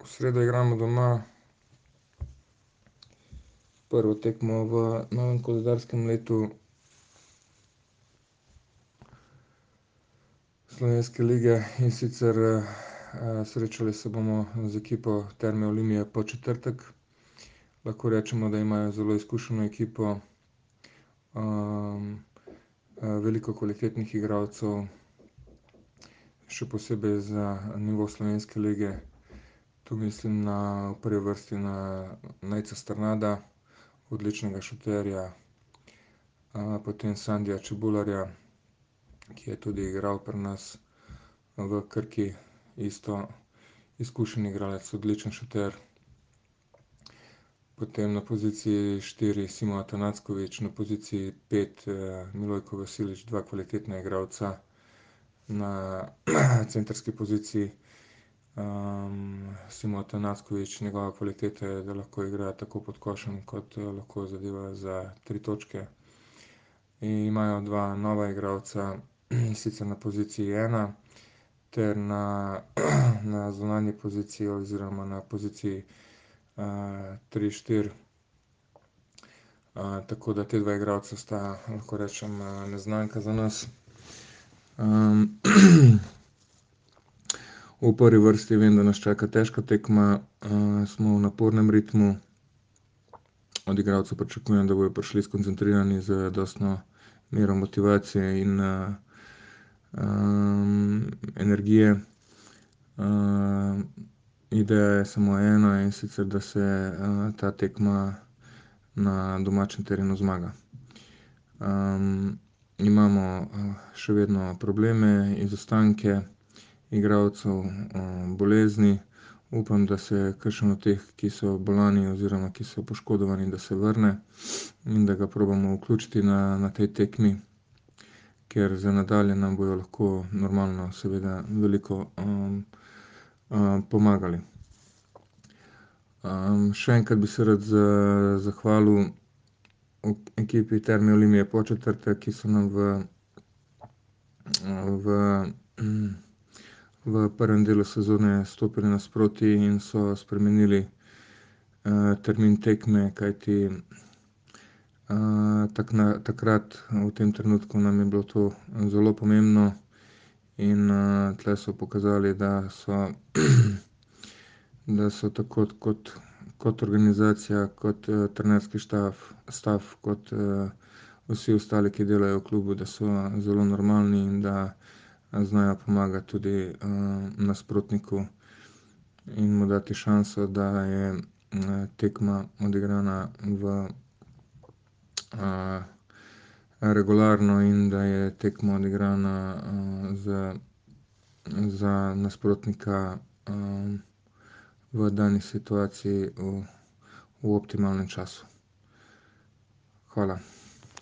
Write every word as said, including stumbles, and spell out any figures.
V sredo igramo doma prvo tekmo v novem koledarskem letu Slovenske lige, in sicer srečali se bomo z ekipo Terme Olimia Podčetrtek. Lahko rečemo, da imajo zelo izkušeno ekipo, veliko kvalitetnih igralcev, še posebej za nivo slovenske lige. Tu mislim na, v prvi vrsti na Nejca Strnada, odličnega šuterja, potem Sandija Čebularja, ki je tudi igral pri nas v Krki, isto izkušen igralec, odličen šuter. Potem na poziciji štiri Simo Atanackovič, na poziciji pet Milojko Vasilič, dva kvalitetna igralca. Na centrski poziciji Simo Atanackovič, njegova kvaliteta je, da lahko igra tako pod košem kot lahko zadeva za tri točke. In imajo dva nova igralca, in sicer na poziciji ena ter na, na zunanji poziciji oziroma na poziciji tri, štiri. Tako da te dva igralca sta, lahko rečem, neznanka za nas. V prvi vrsti vem, da nas čaka težka tekma, smo v napornem ritmu. Od igralcev pričakujem, da bojo prišli skoncentrirani z zadostno mero motivacije in energije. Ideja je samo ena, in sicer, da se ta tekma na domačem terenu zmaga. Imamo še vedno probleme, izostanke igralcev, bolezni. Upam, da se kakšen od teh, ki so bolni oziroma ki so poškodovani, da se vrne in da ga probamo vključiti na, na tej tekmi, ker za nadalje nam bojo lahko normalno seveda veliko pomagali. Še enkrat bi se rad zahvalil ekipi Terme Olimia Podčetrtek, ki so nam v, v, v prvem delu sezone stopili nasproti in so spremenili termin tekme, kajti takrat, v tem trenutku nam je bilo to zelo pomembno in tule so pokazali, da so, da so tako kot, kot organizacija, kot trenerski štab, stav, kot vsi ostali, ki delajo v klubu, da so zelo normalni in da znajo pomagati tudi nasprotniku in mu dati šanso, da je tekma odigrana v regularno in da je tekma odigrana z, za nasprotnika v dani situaciji v, v optimalnem času. Hvala.